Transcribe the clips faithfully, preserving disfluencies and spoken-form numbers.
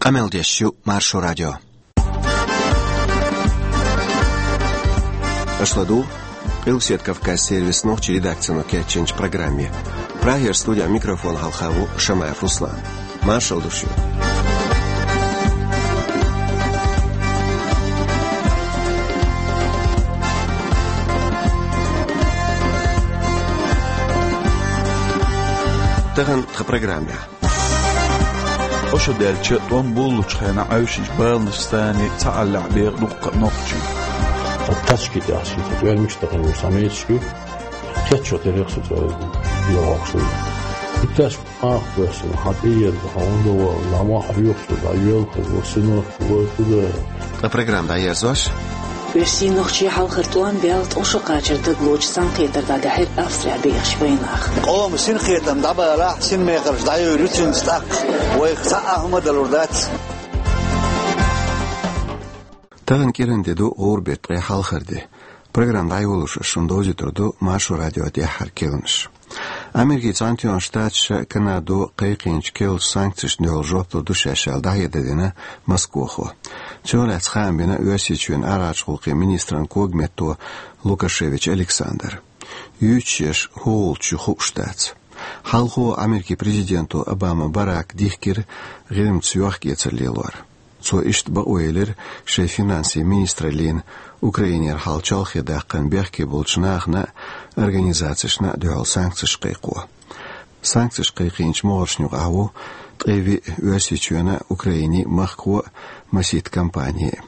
Къамел деш ю Маршо радио. Аша ладугӀу Къилбаседа Кавказан сервисан нохчийн редакцино кечйинчу программе. Прагера студин микрофона хьалха ву Шамаев Руслан. Маршалла ду шуьга. Тахана тхан программехь. Ӏошу даьлча, тӀом буллучу хенахь Ӏаьвшинчу баланаш санна цхьааллехь беха дуккха нохчий. Тачки тӀехь шийтта тӀоьрмигаш тахана ву самейташ ю. Кхетчо терехь со цӀа дегӀокхуш ву. И тачка маха доьссина, хьан тӀеера, хьан хӀунда вала, ламахь хьоьхуш ву, дӀайоьлхуш ву, синох ву, туда. Ткъа программа дӀаерзош. Оьрсийн нохчийн хьалхара тӀом баьлла ткъа шо кхачар дагалоцуш цхьаьнакхетар дӀадахьира Австрехь бехачу вайнаха. Къоман синкхетам дӀабалахь, синмехарш дӀайовр ю цуьнца тӀаккха. Вайх цхьа а хӀума далур дац. Тахана кӀиран де ду, гӀуран беттан ткъе хьалхара де. Программа дӀайолош аса шуна довзуьйтур ду Маршо радион тӀаьххьара керланаш. Америкин Цхьаьнатоьхначу Штаташа Канадо кхайкхийначу керлачу санкцешна дуьхьал жоп лур ду шаьш аьлла, дӀахьедар дина Москвахо. Цунах лаьцна хаам бина Оьрсийчоьнан арахьарчу гӀуллакхийн министран когаметто Лукашевич Александра. Юьйцуш ерш хӀун гӀулч ю хууш дац. Хьалхо Америкин президенто Обама Барака дихкира ГӀирмаца йохк-эцар лелор. Цо иштта бакъо елира шайн финансийн министраллина Украинера хьал чолхе даккхарна бехке болчу нахана а, организацешна а дуьхьал санкцеш кхайкхо. Санкцеш кхайкхийначу могӀаршна юкъахь ву ткъе виъ Оьрсийчоьнан а, Украинин а махкахо а, масийтта компани а.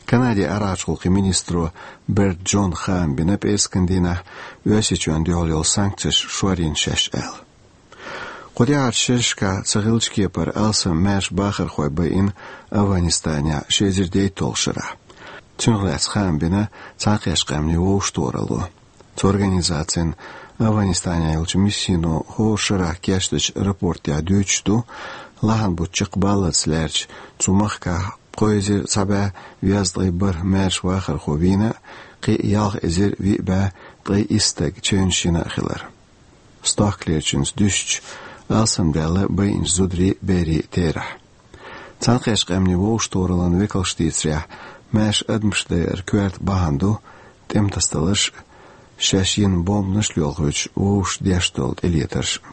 Канадин арахьарчу гӀуллакхийн министро Берт Джона хаам бина пӀераскан дийнахь, Оьрсийчоьнна дуьхьал йолу санкцеш шорйина шаьш аьлла. Кху тӀаьхьарчу шерашкахь ца хиллачу кепара алсам маьрша бахархой байина Афганистанехь ши эзар дейтталгӀачу шарахь. Цунах лаьцна хаам бина Цхьаьнакхеттачу Къаьмнийн Вовшахтохаралло. Цу организацин Афганистанехь йолчу миссино хӀора шарахь кечдечу рапортехь дуьйцуш ду, лахьанан бутт чекхбаллалц лаьрча цу махкахь кхо эзар цхьа бӀе дезткъе бархӀ маьрша вахархо вийна а, кхин а ялх эзар виъ бӀе ткъе исс стаг чевнаш йина а хилар. Стохкалерчуьнца дуьстича, алсамдаьлла байинчу зударийн а, берийн а терахь. Цхьаьнакхеттачу Къаьмнийн Вовшахтохараллин векалша дийцарехь, маьрша адамаш дайар коьрта бахьана ду тӀеман тасадаларш а, шаьш йина бомбанаш а лоьлхуьйтуш вовшашна деш долу тӀелетарш а.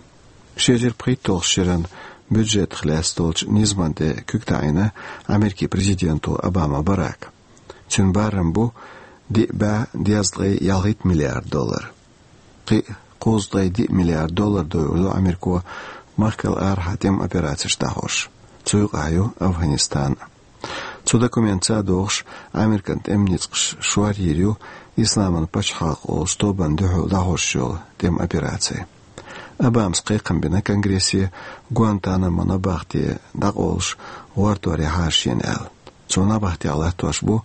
Ши эзар пхийтталгӀачу шеран бюджетах лаьцна долчу низамна тӀе куьг таӀийна Америкин президенто Обама Барака. Цуьнан барам бу диъ бӀе дезткъе ялхитта миллиард доллар. Кхин а кхузткъе диъ миллиард доллар дойур ду Америко махкал арахьа тӀеман операцеш дӀахьош. Цу юкъахь ю Афганистан а. Цу документаца а догӀуш, Американ тӀеман ницкъаш шорйийр ю Исламан пачхьалкх олучу тобанна дуьхьал дӀахьош йолу тӀеман операци. Обамас кхайкхам бина Конгрессе Гуантанамо набахте дӀакъовлуш гӀортор яхьара шена аьлла. Цо набахтехь латтош бу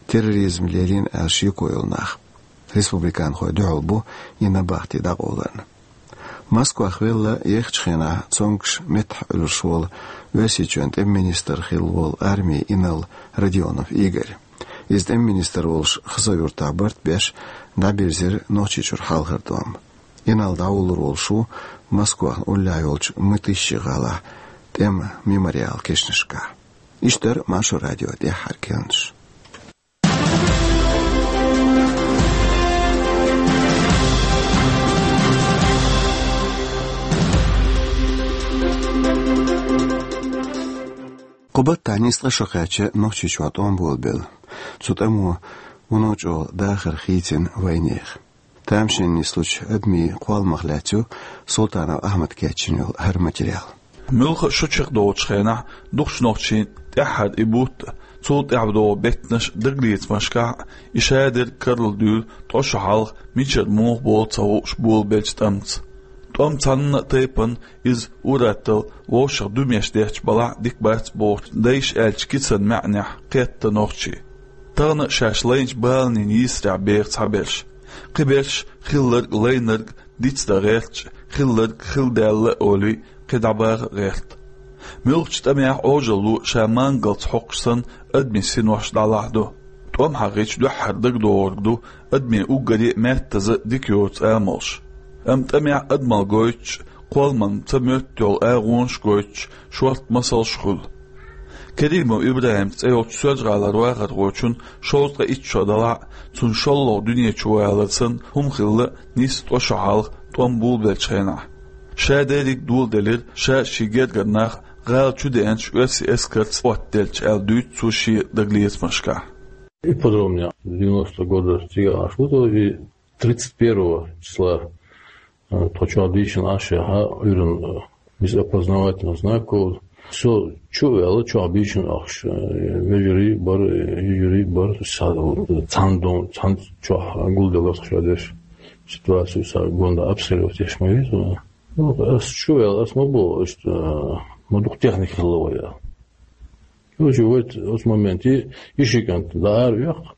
терроризм лелийна аьлла шеко йолу нах. Республиканхой дуьхьал бу и набахти дӀакъовларна. Москвахь велла ехачу хенахь цомгуш меттахъхьуьллуш волу Оьрсийчоьнан тӀеман министр хилла волу армин инарла Родионов Игорь. Иза тӀеман министр волуш Хасавюртахь барт беш дӀабирзира Нохчийчуьра хьалхара тӀом. Инарла дӀавуллур волуш ву Москвахна уллехь йолчу Мытищи гӀалахь тӀеман мемориал кешнашкахь. Иштта дара Маршо радион тӀаьххьара керланаш. Кху баттахь нисса ткъа шо кхаьчна Нохчийчохь тӀом болабелла. Цу тӀамо вуно чӀогӀа дахар хийцина вайнехан. Тамашийна нислучу адамийн кхолламах лаьцна ю Султанов Ахьмада кечйина йолу хӀара материал. Муьлхха а шо чекхдолучу хенахь дукхачу нохчийн тӀаьххьара и бутт а, цул тӀаьхьа догӀу беттанаш а, дагалецамашкахь а и шадерг карладуьйлу ткъа шо хьалха мичара муха болу ца хууш болабеллачу тӀамца. ТӀом цхьанна а тайпана иза ур-атталла вовшах дуьмеш детташ балахь а дика бац бохучу дайша аьллачу кицан маьӀнехь кхетта нохчий. Тахана а шаьш лайначу баланийн йийсарехь беха цхьаберш. Кхиберш хилларг а, лайнарг а диц дан гӀерташ, хилларг хилла даьлла а олий, кхин дӀабаха а гӀерта. Муьлххачу тӀамехь Ӏожалло ша мангалца хьокхуш санна адамийн синош дӀалахь ду. ТӀом хьахийча дуьххьара дагадогӀург ду адамийн уггаре а меттаза а дика йоцу амалш. Амма тӀамехь адамалла гойтуш а, кхолламан ца моьтту йолу агӀонаш а гойтуш, шортта масалш а хуьлу. Керимов ИбрахӀим цӀе йолчу Соьлжа-ГӀалара вахархочун шовзткъе итт шо далахь а, цунна шолгӀа дуьне чу валар санна хӀума хилла нийсса ткъа шо хьалха тӀом болабеллачу хенахь. Ша дерриг доладелира, ша шен гергара нах гӀала чу деанчу оьрсийн эскарца оттаделча, аьлла дуьйцу цо шен дагалецамашкахь. И подробнее. Девяностого года цигахь Ӏаш ву тхо, и тридцать первого числа, э, тхо чохь дийшина Ӏаш яхьа, Ӏуьйранна, э, без опознавательных знаков. Со чу а ваьлла, чохь бийшина ахча, э, вежарий бара, э, йижарий бара, са-, цхьана дом, цхьана чохь гулделла тхо ша деш. Ситуацию са гонда обстрелировать еш ма веза. Ну, ас чу а ваьлла, ас ма боху, иштта, э, ма дукха техника хилла вай, аьлла. Короче, вот оцу моменте и ши кӀант дӀа ара веха,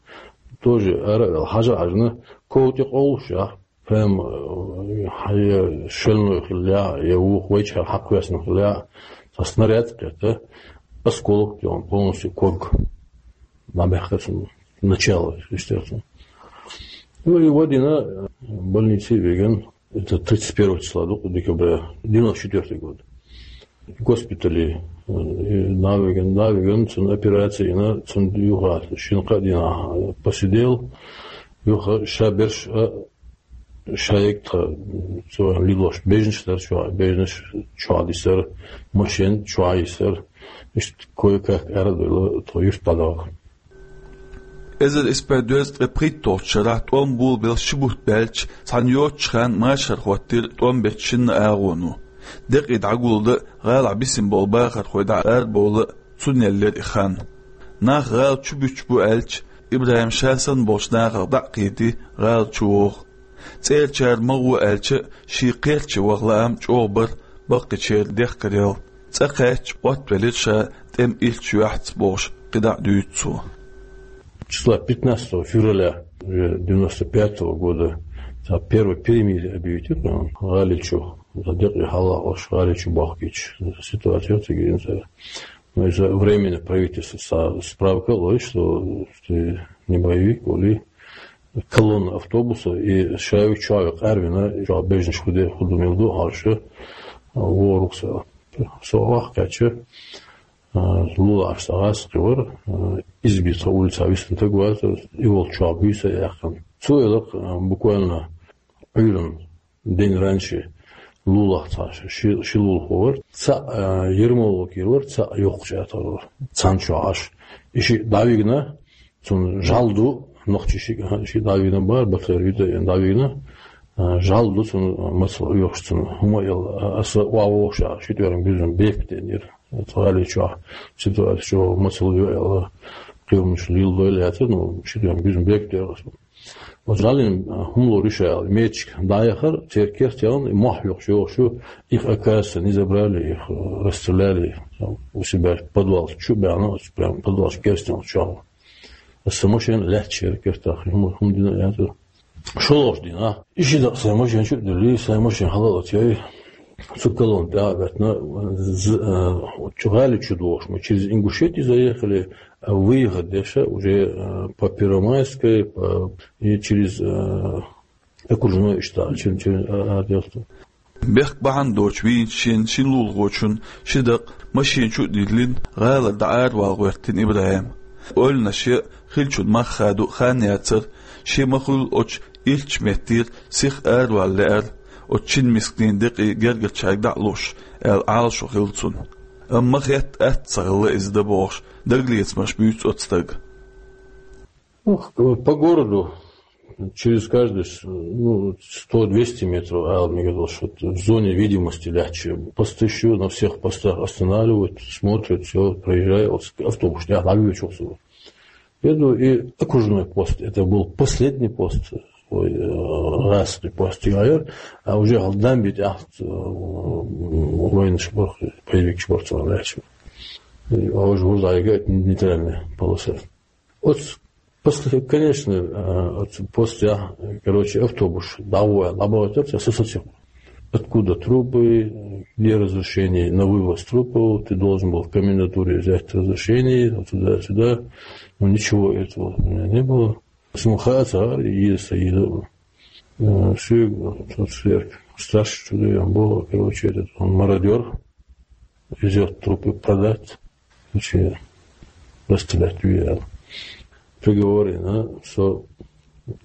тоже ара а ваьлла, хьажа а хьаьжна, ков тӀе къовлуш яхь, прям, э, хьан я шальной хилла яхь, я вукху вайчара хьакхоьссина хилла яхь, цхьа снаряд кхетта, осколок тӀе полностью ког. ДӀабаьхкира цунна начало, естественно. Ну и вадийна, э, больнице вигна, это тридцать первого числа ду-, декабря, девяносто четвёртый год. Госпитале, э, и дӀавигна, дӀавигна, цунна операци йина, цунна юха шина-кхаа дийнахь посидел, юха ша берш а, ша егга тха, м, цо лелош бежнаш дара чохь, бежнаш чохь дисар, машен чохь йисар, иштта кое-как арадевлла тхо юьртахь дӀадахка. Эзар исс бӀе дезткъе пхийтталгӀачу шарахь тӀом болабелла ши бутт баьлча, цхьана йоццачу хенахь машар хӀоттийра тӀом бечу шинна агӀоно. Декъий дӀагулдан а, гӀалахь бисина болу бахархой дӀа арабовла а, цунна еллера и хан. Нах гӀала чу буьтуш бу аьлча, ИбрахӀима ша санна болчу нахах дӀа а кхийдий, гӀала чу вогӀу. ЦӀерачара ма гӀо аьлча а, шен кхерча ваха лаам чӀогӀа бара баккхийчеран дехкарел. ЦӀа кхаьчча, Ӏоттавелира ша тӀеман иллачу юьхьца бохуш, кхидӀа а дуьйцу цо. Числа пятнадцатого февраля уже девяносто пятого года, цхьа первое перемирие объявить ю, гӀали чу, за декъий хьалха ош гӀали чу бохкийча. Ситуация цига инца. Ну, из-за временное правительство са-, справка лой, что ты не боевик, или колонна автобуса, и шави чови къарвина, чови бежнаш худе, худу милду, хьалша, ворукса. Со вахкача, а, лула аш сагас кивар, а, избица улица вистан тагваза, и вол чови буйса яхан. Цу элак, а, буквально Ӏуьйран день раньше лулах цхьа ши, ши лулахо вара, цхьаъ, а, Ермоло кийра вара, цхьаъ йоккхачу атагӀа вара. Цхьана чохь Ӏаш. И шиъ дӀавигна, цунна жӀаьла ду, нохчи шиъ, а, шиъ дӀавигна бара, батарейна дӀавигна, а, жӀаьла ду цунна, мацалла оьхуш цунна. ХӀума а елла, а, аса охьавогӀуш а, ши тӀоьран буьззина бепиг деанера. Оцу гӀали чохь ситуация чохь мацалла ю аьлла, кхирамаш лелдойла яцара, ну, ши тӀоьран буьззина бепиг деара аса. Оцу жӀаьлин, а, хӀума лур ю ша аьлла, мечик дӀаяхара, церан керт яхана, и мохь йохуш йогӀуш ю, их, оказывается, не забрали, их, э, расстреляли, там, у себя в подвал чу а баьхна, оцу прям подвал керстен чохь. Аса машен лаьтташ яра кертах, хӀума, хӀума дина яцара. ШолгӀачу дийнахь, и ши дакъа сайн машен чу а дуьллий, сайн машен хьала а латъяй, цу колонна тӀе а беттина, з-, э, чу гӀали чу дохуш ма, через Ингушетию заехали, а выехать деш а уже, э, по Первомайской, по, и через, э, окружной иштта, через, через, э, аэродром. Бехк бахьана доцуш вийначу шен шина лулахочун ши дакъа машен чу а диллина, гӀалара дӀа аравала гӀоьртина ИбрахӀим. Ойланаш ян хиллачун мах хадо хан яцара, шен ма-хуьллу оцу иллачу меттера сиха аравала лаьара, оцу шина мисканийн декъий гергарчаьрга дӀа а луш, аьлла Ӏалашо хилла цунна. Амма ма хетта атта ца хилла иза дан бохуш, дагалецамаш буьйцу оцу стага. Ну, по городу через каждые с-, ну, сто-двести метров, а, мне казалось, что в зоне видимости легче. Посты ещё на всех постах останавливают, смотрят, всё, проезжает, вот автобус, я ловлю чё. Еду, и окружной пост, это был последний пост, ой, э, гӀазкхийн пост, я, а уже Далбит ахт, э, военный шпорх, боевик шпорх, легче. И, а уже, уже нейтральная полоса. Вот после, конечно, э, вот после, а, короче, автобус, давай, лаборатор, я сосочек. Откуда трупы, где разрешение на вывоз трупов, ты должен был в комендатуре взять разрешение, вот туда-сюда. Но ничего этого у меня не было. Смухаца, и Саида. Э, всё, тот сверх. Старший чудо, он был, короче, этот, он мародёр. Везёт трупы продать. Короче, расстрелять вели. Приговоре, а, со,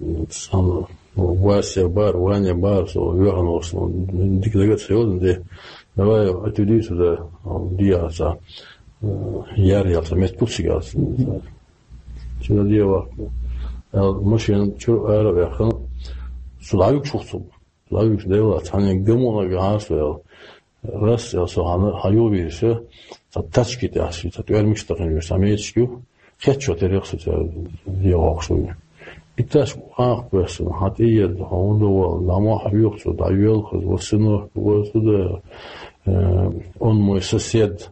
м, сам, ну, Вася бар, Ваня бар, со, Йохан, в основном, дика дагадоагӀа, де, давай, отведи сюда, а, диаса, э, яр ялца, мет пусигас. Сюда диава. А, машин чура ара ваьхна, сюда юг шухцу. Лавикс дела, цхьана гамона гӀарса вел. Рас, я со хьана, хьаювийша, ца тачки тӀехь, ца тӀоьрмигаш тахана веш, ца мечки ю. Хетчо терехса ца егӀохшуй. И таш къах квесан, хьан тӀиед, хьан удовал, намо хьавюхцу, да юелхаз, васыно, васуда, э, он мой сосед.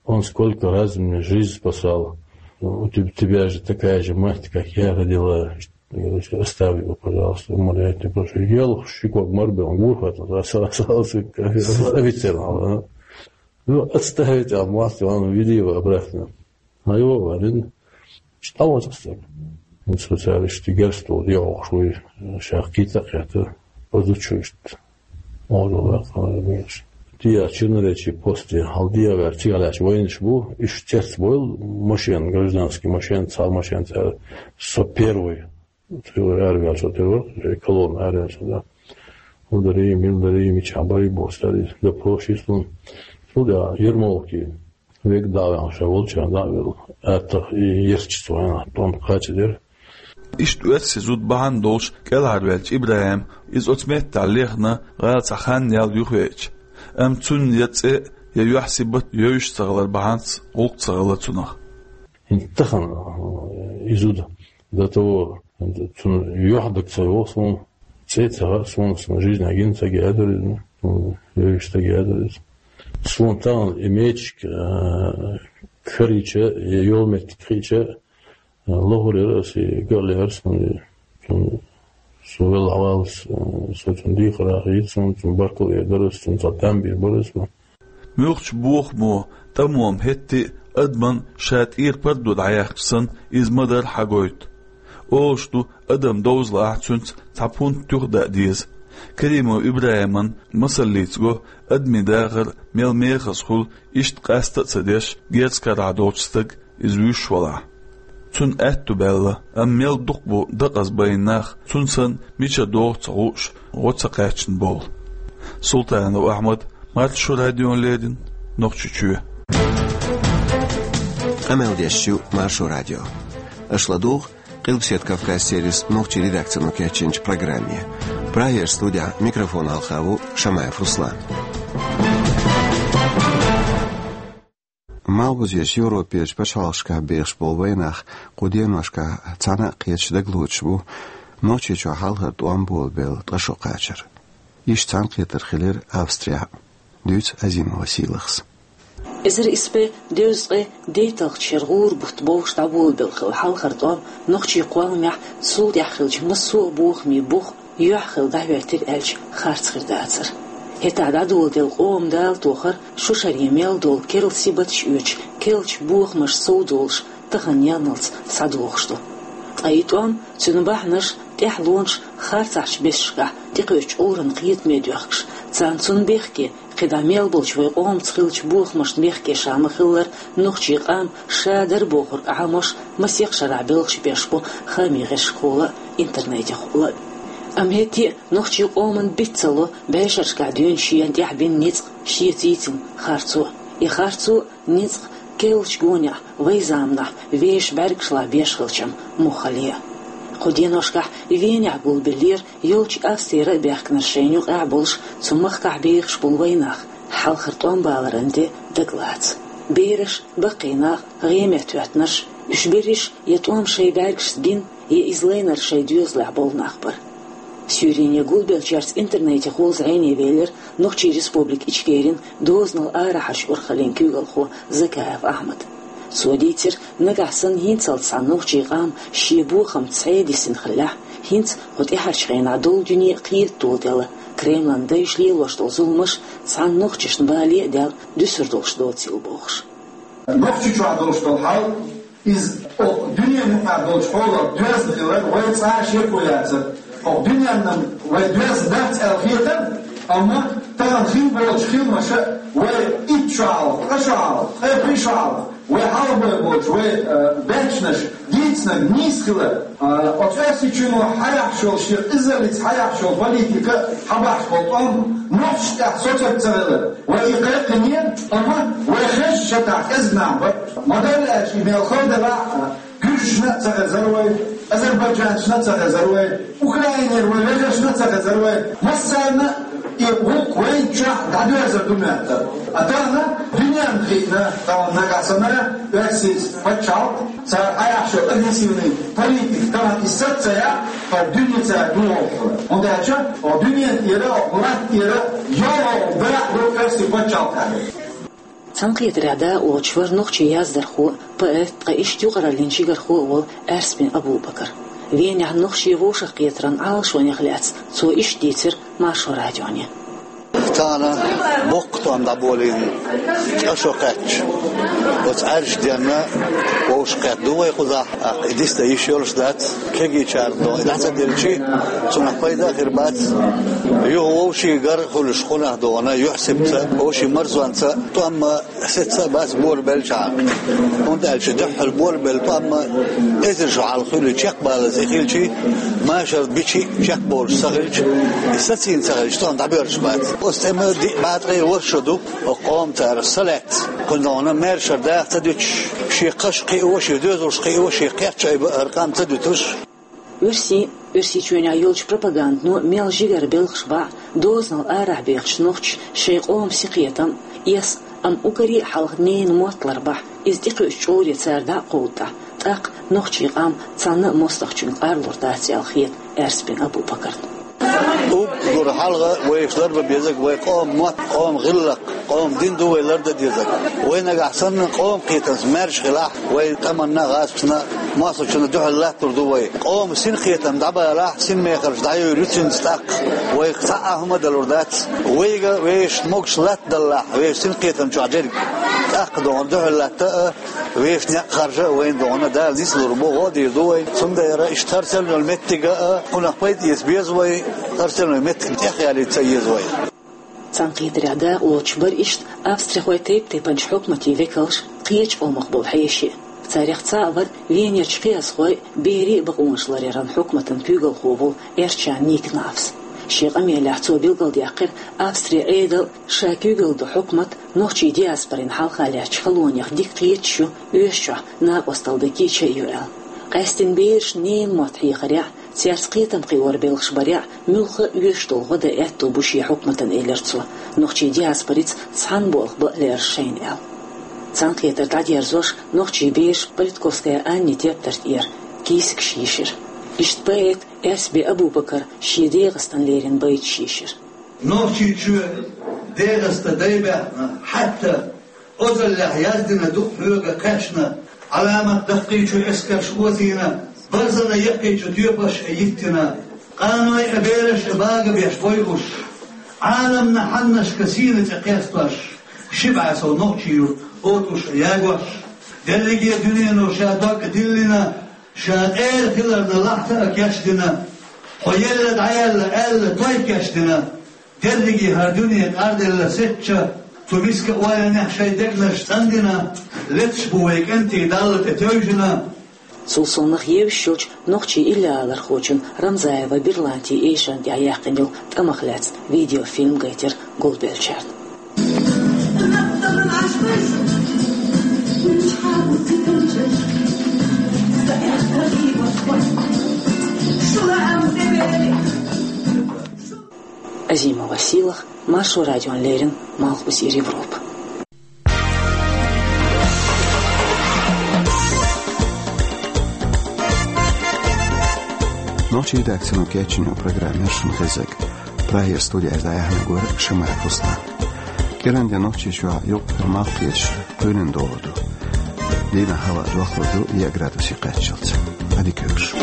Он сколько раз мне жизнь спасал. У теб-, тебя же такая же мать, как я родила. Я говорю, оставь его, пожалуйста, умоляю тебя, прошу. Ел шикок марбе, он гурхат, оставить его, а? Ну, оставить, а мать, он веди его обратно. А его варен, что вот оставил. Он специалист, герстол, я охшуй, шахкита, это, позучуешь. Ола вакъа веш. Тия чинаречи посте, хьал дия вер, тия лач войнаш бу, иш цец бойл, машин, гражданский машин, цал машин, цал со первый. Тила арвял со первый, колонна арвял со, да. Удари, милдари, мича бай бо, стари, да прошлый слон. Сюда, Ермолки. Век давян ша волча, давил. Аттах и ерчи цвана, тон кхача дер. Иштта оьрсийн зуда бахьана долуш кӀелхьарваьлча ИбрахӀим, иза оцу меттехь лехна, гӀала цхьа хан ял юхавеача. Амма цунна я цӀе, я юьхь-сибат йовзуш ца хилар бахьанца гӀуллакх ца хилла цунах. ХӀинца тахана, э, и зуда до того, цунна юьхь даг ца йогӀу суна, цӀе ца хаьа суна, суна жизнь агина ца геадаризма, суна йовзуш ца геадаризма. Суна тахана и мечик, э, карийча, я йолу меттиг хиъча, лохур яра аса, и гал яра суна, цунна со велла хьаваллалц, со цунна дийхар а хетта, суна цунна баркалла эр дара аса, цунна цхьа там бийр бара аса. Муьлххачу бохамо, тӀамо хӀетте а адаман ша тӀера пардо дӀаяьккхича санна, иза ма-дарра хьагойту. Олуш ду, адам довзалахь цуьнца цхьа пунт туьха даа деза. Каримов ИбрахӀиман масаллица го, адамийн дахар мел мехаза хуьлу, иштта къаста а ца деш, герз карахь долчу стаг иза вуьйш валахь. Цунна аьтту баьлла, амма мел дукха бу декъаза байна нах, цунна санна мичара догӀу ца хууш, гӀо ца кхаьчна бовла. Султанов Ахьмад, Маршо радиона леррина, Нохчийчоь. Къамел деш ю Маршо радио. Аша ладугӀу Къилбаседа Кавказ сервисан нохчийн редакцино кечйинчу программе. Прагера студехь микрофон хьалха ву Шамаев Руслан. Малхбузерчу Европерчу пачхьалкхашкахь бехаш болу вайнах кху деношкахь цхьаьна а кхеташ дагалоцуш бу Нохчийчохь хьалхара тӀом болабелла ткъа шо кхачар. Иштта цхьаьнакхетар хилира Австрехь а, дуьйцу Азимова Сийлахьас. Эзар исс бӀе дезткъе дейтталгӀачу шеран гӀуран бутт бовш дӀаболабелла хилла хьалхара тӀом нохчийн кхолламехь цул тӀаьхьа хиллачу массо а бохамийн бух юьхь хилла дӀахӀоьттира аьлча, харц хир дацара. ХӀетахь дӀадоладелла къоман дала тохар шу шаре мел долу керла сибаташ оьцуш керлачу бохамашца совдолуш тахана яллалц схьадогӀуш ду. Ткъа и тӀом, цуьнан бахьанаш, тӀаьхьалонаш харцахьчу бесашкахь тӀекхуьучу Ӏуьйранна кхетаме доьхкуш, царна цунна бехке, кхидӀа мел болчу вайн къомаца хиллачу бохамашна бехке ша ма-хиллара, нохчийн къам ша дара бохург Ӏамош масех шарахь белхаш беш бу хаамийн гӀирсашкахула а, интернетехула а. Амма хӀетте а нохчийн къоман биц ца ло бӀешерашкахь дуьйна шена тӀехь бина ницкъ, шеца йийцина харцо. И харцо, ницкъ керлачу гонехь, вайн заманахь вешан бӀаьргашлахь беш хилчам муххале а. Кху деношкахь Венехь гулбеллера йолчу Австрера а баьхкинарш шайна юкъахь а болуш, цу махкахь бехаш болу вайнах, хьалхара тӀом баларан де дагалаца. Бераш, баккхий нах, гӀеметтахӀоьттинарш, уьш берриш я тӀом шайн бӀаьргашца гина, я иза лайнарг шайн доьзалехь болу нах бара. Суьйрене гулбеллачаьрца интернетехула зӀене велира Нохчийн Республика Ичкерин дозанал арахьарчу урхаллин куьйгалхо Закаев Ахьмад. Цо дийцира, нагахь санна хӀинцалц цхьана нохчийн къам шен бохамца схьа а дисина хиллехь, хӀинца кху тӀаьхьарчу хенахь долу дуьне а кхета доладелла, Кремлан дайша лелош долу зуламаш цхьана нохчашна бале а даьлла дуьсур долуш доцийла бохуш. Нохчийчохь долуш долу хьал, иза окху дуьненан юкъахь долчу хьолах доьзна хилар вай цкъа а шеко яцара. Окху дуьненна вай доьзна дац аьлла хетара, амма тахана хин болчу хиламаша Вай итт шо хьалха, ткъа шо хьалха, ткъе пхи шо хьалха, вай хьалха бой болчу, вай, э, баьччанаш дийцинарг нийса хилар, э, оцу Оьрсийчоьно хьаяхьаш йолу шен иззаллица хьаяхьаш йолу политика, хьабахьаш болу тӀом нохчашна тӀехь соцург ца хилар. Вай и кхайкхинера, амма вай хезачу шатахь кӀезиг нах бара. Ма-дарра аьлча, и мел хала делахь а, гуьржашна а ца хезара вай, азербайджанцашна а ца хезара вай, Украинера вай вежаршна а ца хезара вай, массарна а и гӀуллакх вайна чохь дӀадоьрзур ду моьттура. А тахана дуьненна хиъна, тахана нагахь санна, Оьрсийчоьнан пачхьалкх, цара хьаяхьаш йолу агрессивный политика, тахана и саца ца яхь, хӀара дуьне цара духуш хилла. ХӀунда аьлча, оха дуьненна тӀера, оха латта тӀера, йогӀу дара ду Оьрсийн пачхьалкх аьлла. Цхьаьнакхетарехь дакъалоцуш вара нохчийн яздархо, поэт, ткъа иштта юкъараллин жигархо а волу Аьрсбин Абу-Бакар. Венехь нохчийн вовшахкхетаран Ӏалашонех лаьцна цо иштта дийцира Маршо радионе. Тахана боккха тӀом дӀаболийна, ткъа шо кхаьчча. Оцу Ӏаьржа денна вовшахкхетта ду вай кхузахь, тӀаккха и дицдан йиш йолуш дац, кегийчарна дона и дӀа ца делчи, цунах пайда а хир бац. Юха вовшийн гар а хуьлуш, кхунах дона, юьхь-сибатца, вовшийн марзонца тӀом а, сецца а бац болабеллачхьана. ХӀунда аьлча дуьххьал болабелла тӀом а эзар шо хьалха хуьлий чекхбалаза и хилчий, машар бичий чекхболуш ца хилча, и сацийна ца хилча, тӀом дӀабоьрзуш бац. Оцу тӀеман диъ бӀе ткъе ворхӀ шо ду, оцу къоман цара са лаьцна, кхуьнан маьршара даха ца дуьтуш, шен кхаш кхио, шен доьзалш кхио, шен кхерч айба а хӀара къам ца дуьтуш. Оьрсийн, Оьрсийчоьнехь йолчу пропагандано мел жигара белхаш бахь, дозанал арахь бехачу нохчаша шайн къоман синкхетам эс, амма уггаре а хьалха ненан мотт ларбахь, иза тӀекхуьучу чкъуре цара дӀа а кховдадахь, тӀаккха нохчийн къам цхьанна а мостагӀчуьнга къарлур дац аьлла хета Аьрсбин Абу-Бакарна. Уггар хьалха вайша ларбан безарг вай къоман мотт, къоман гӀиллакх, къоман дин ду вай лардан дезарг. Вай нагахь санна къоман кхетамца маьрша хилахь, вай тӀамна, гӀазкхашна, мостагӀчунна дуьхьал латтор ду вай. Къоман синкхетам дӀабалахь, синмехарш дӀайовр ю цуьнца тӀаккха, вайх цхьа а хӀума далур дац. Вайга вешан могуш латтадаллахь, вешан синкхетам чохь дерг, тӀаккха догӀна дуьхьал латта а, вешан некъ харжа а вайна догӀна Дала нислур бу, гӀо а дийр ду вай. Цундела иштта хӀара селланал меттига а, кхунах пайда эца беза вай, хӀара селланал меттиг тӀехъялийта ца еза вай. Цхьаьнакхетарехь дакъалоцуш бара иштта австрихойн тайп-тайпанчу хьукматийн векалш, кхечу къомах болу хьеший. Царех цхьаъ вара Венерчу кхиазхойн, берийн бакъонаш ларъяран хьукматан куьйгалхо волу Эрчан Никенафс. Шен къамелехь цо билгалдаьккхира Австрин Ӏедал, ша куьйгалла долу хьукмат нохчийн диаспорин хьалха лаьттачу халонех дика кхеташ ю оьшучохь накъосталла дан кийча а ю аьлла. Къаьсттина бераш ненан мотт хьехарехь, цаьрца кхетам кхиоран белхаш барехь, муьлхха а оьшуш долу гӀо дан аьтто бу шен хьукматан, элира цо, нохчийн диаспорица цхьана болх бан а лераш шайна аьлла. Цхьаьнакхетар дӀадерзош, нохчийн бераш Политковская Аннин тептар тӀера кийсигаш йийшира. Иштта поэта Аьрсбин Абу-Бакара шен ДегӀастан леррина байташ йийшира. Нохчийчоь ДегӀаста дай баьхна, хьаьтта озаллехь яздина, дукъ хьоьга кхаьчна, Ӏаламат даккхийчу эскарш оцийна, барзана яккхийчу тоьпаш а йиттина, къаной а, бераш а багабеш бойуш, Ӏаламна хьаннашка сийна цӀе кхестош, ши бӀе сов нохчийн юрт отӀуш а ягош, дерриге дуьнено ша дог а диллина, ша къера хиларна лахьта а кечдина, хьо елла дӀаяьлла аьлла той кечдина, дерриге хӀара дуьне къарделла сецча, цу миска ойланехь шайн дегнаш цӀандина, леташ бу вай кӀентий Далла тӀе тевжина. Цул совнаха евзаш йолчу нохчийн иллиалархочун Рамзаева Берланти эшарна тӀехь яьккхина йолу тӀамах лаьцна видеофильм гайтира гулбеллачарна. Азимова Сийлаха, Маршо радиона леррина, Малхбузера Европа. Нохчийн редакцино кечйина программа яра шуна хезнарг. Прагера студера дӀаяьхьнарг вара Шамаев Руслан. КӀиранде Нохчийчохь юккъера малх кхеташ кхоьлина догӀур ду. Дийнахь хӀаваъ дохлур ду, еа градусе кхаччалц. Ӏадика йойла шун.